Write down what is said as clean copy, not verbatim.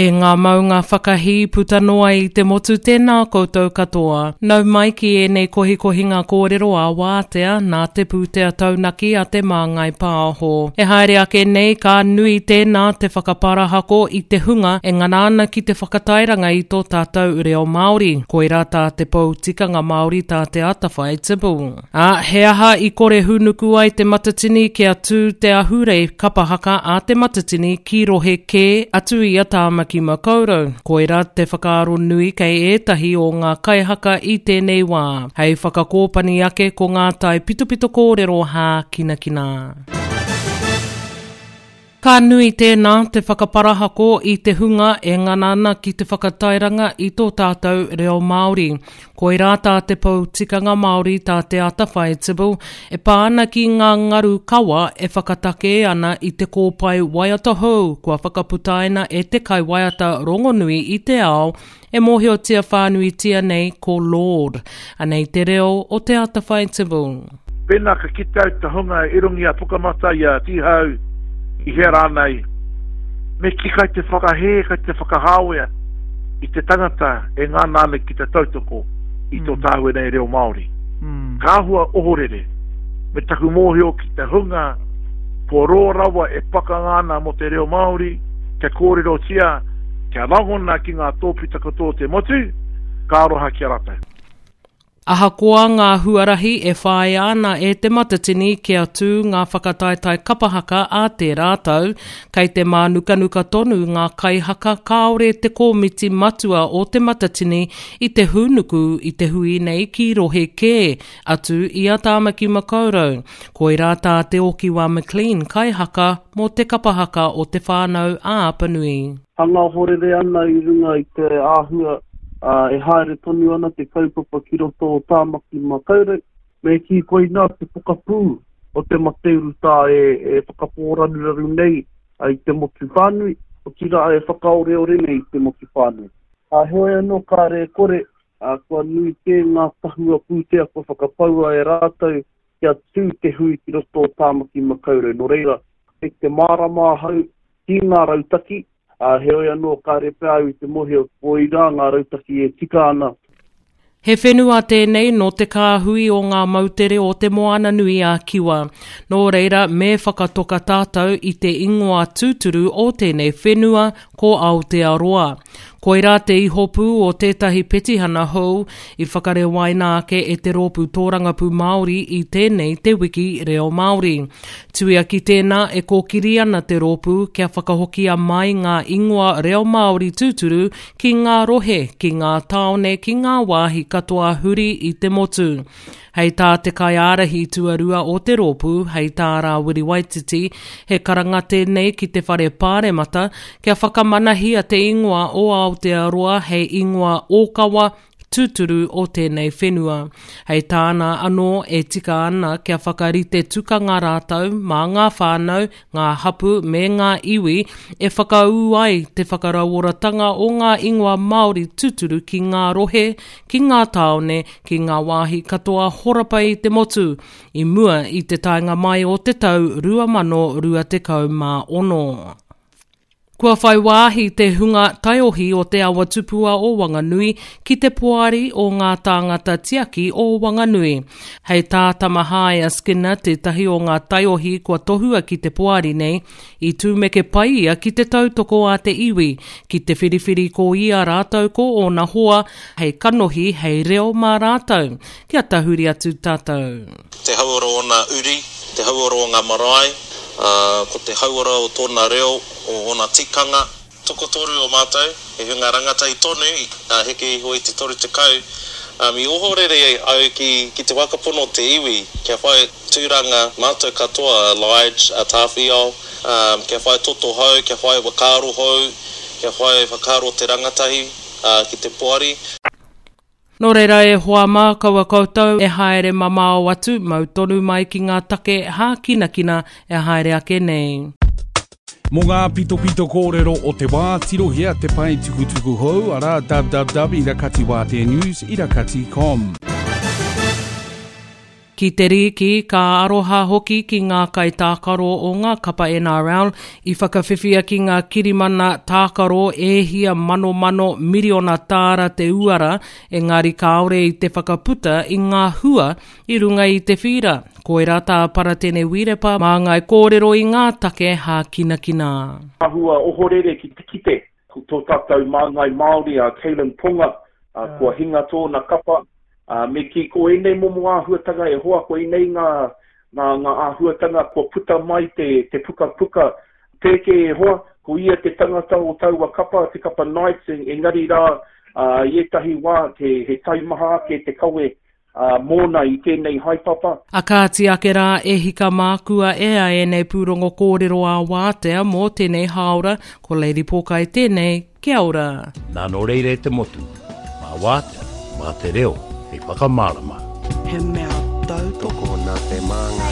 E ngā maunga whakahī puta noa i te motu tēnā koutou katoa. Nau mai ki ēnei kohikohinga kōrero ā-wātea nā te pūtea taunaki a Te Māngai Pāho. E haere ake nei ka nui tēnā te whakaparahako i te hunga e ngana ana ki te whakatairanga i tō tātou reo Māori. Koirā tā te pou tikanga Māori tā Te Atawhai Tibble. Ā, he aha i kore hūnuku ai Te Matatini kia tū te ahurei kapa haka a Te Matatini ki rohe kē atu i a Tāmaki Makaurau? Koirā te whakaaro nui kei ētahi o ngā kaihaka i tēnei wā. Hei whakakōpani ake ko ngā taipitopito kōrero hākinakina. Ka nui tēnā te whakaparahako i te hunga e ngana ana ki te whakatairanga i tō tātou reo Māori. Koirā tā te pou tikanga Māori tā Te Atawhai Tibble e pā ana ki ngā ngaru kawa e whakatakē ana i te kōpae waiata hou kua whakaputaina e te kaiwaiata rongonui i te ao e mōhiotia whānuitia nei ko Lorde. Anei te reo o Te Atawhai Tibble. Pēnā ka kite au te hunga i runga i a Pukamata, i a Tīhau, i hea rānei, me kī kai te whakahē, kai te whakahāwea i te tangata e ngana ana ki te tautoko i tō tāua nei reo Māori. Ka āhua ohorere me taku mōhio ki te hunga kua roa rawa e pakanga ana mō te reo Māori, kia kōrerotia, kia rangona ki ngā tōpita katoa o te motu, ka aroha ki a rātou. Ahakoa ngā huarahi e whāia ana e Te Matatini kia tū ngā whakataetae kapa haka ā tērā tau, kei te mānukanuka tonu ngā kaihaka kāore te kōmiti matua o Te Matatini i te hūnuku i te hui nei ki rohe kē atu i a Tāmaki Makaurau. Koirā tā Te Okiwa McLean kaihaka mō te kapa haka o Te Whānau a Apanui. Hanga ohorere ana i runga i te āhua e haere tonu ana te kaupapa ki roto o Tāmaki Makaurau. Me kī koinā te pokapū o te mate urutā e whakapōraruraru nei i te motu whānui, otirā e whakaoreore nei i te motu whānui. Heoi anō kāre e kore, kua nui kē ngā tahua pūtea kua whakapaua e rātou kia tū te hui ki roto o Tāmaki Makaurau. Nō reira, kei te mārama ahau ki ngā rautaki, ā, heoi anō kāre pea au i te mōhio koirā ngā rautaki e tika ana. He whenua tēnei nō te kāhui o ngā moutere o Te Moananui-a-Kiwa. Nō reira, me whakatoka tātou i te ingoa tūturu o tēnei whenua, ko Aotearoa. Koirā te ihopū o tētahi petihana hou i whakarewaina ake e te Rōpū Tōrangapū Māori i tēnei Te Wiki Reo Māori. Tuia ki tēnā, e kōkiri ana te rōpū kia whakahokia mai ngā ingoa reo Māori tūturu ki ngā rohe, ki ngā tāone, ki ngā wāhi katoa huri i te motu. Hei tā te kaiārahi tuarua o te rōpū, hei tā Rāwiri Waititi, he karanga tēnei ki te Whare Pāremata kia whakamanahia te ingoa o Aotearoa hei ingoa ōkawa, tūturu o tēnei whenua. Hei tāna anō, e tika ana kia whakarite tukanga rātou mā ngā whānau, ngā hapū me ngā iwi e whakaū ai te whakarauoratanga o ngā ingoa Māori tūturu ki ngā rohe, ki ngā tāone, ki ngā wāhi katoa horapa i te motu, i mua i te taenga mai o te tau 2026. Kua whai wāhi te hunga taiohi o Te Awa Tupua o Wanganui ki te Poari o Ngā Tāngata Tiaki o Wanganui. Hei tā Tamahaia Skinner tētahi o ngā taiohi kua tohua ki te poari nei, i tūmeke pai ia ki te tautoko a te iwi, ki te whiriwhiri ko ia rātou ko ōna hoa hei kanohi, hei reo mā rātou. Kia tahuri atu tātou. Te hauora o ōna uri, te hauora o ngā marae, ā, ko te hauora o tōna reo, o ōna tikanga. Tokotoru o mātou, he hunga rangatahi tonu, ā, heke iho i te 30, ā, i ohorere au ki, ki te whakapono o te iwi, kia whai tūranga mātou katoa, a Lige, a Tāwhiao, ā, kia whai toto hou, kia whai whakaaro hou, kia whai whakaaro te rangatahi, ā, ki te poari. Nō reira e hoa mā, kaua koutou e haere mamao atu, mau tonu mai ki ngā take hākinakina e haere ake nei. Mō ngā pitopito kōrero o te wā, tirohia te pae tukutuku hou, arā, www irakatiwāteanews irakati com. Ki te rīki, ka aroha hoki ki ngā kaitākaro o ngā kapa NRL i whakawhiwhia ki ngā kirimana tākaro e hia manomano miriona tāra te uara, engari kāore i te whakaputa i ngā hua i runga i te whīra. Koirā tā Paratene Wirepa māngai kōrero i ngā take hākinakina. Āhua ohorere ki te kite ko tō tātou māngai Māori a Kalyn Ponga, kua hinga tōna kapa, me kī ko ēnei momo āhuatanga e hoa, ko ēnei ngā, ngā, ngā āhuatanga kua puta mai te, te pukapuka pēke e hoa, ko ia te tangata o taua kapa, te kapa Knights, engari rā, i ētahi wā, he, he taimaha ake te kawe ā, mōna i tēnei haepapa. A kāti ake rā e hika mā kua ea ēnei pūrongo kōrero ā-wātea mō tēnei hāora, ko Lady Pōkai tēnei, kia ora. Nā nō reira e te motu, mā wātea, mā te reo hei whakamārama. He mea tautoko nā te māngai.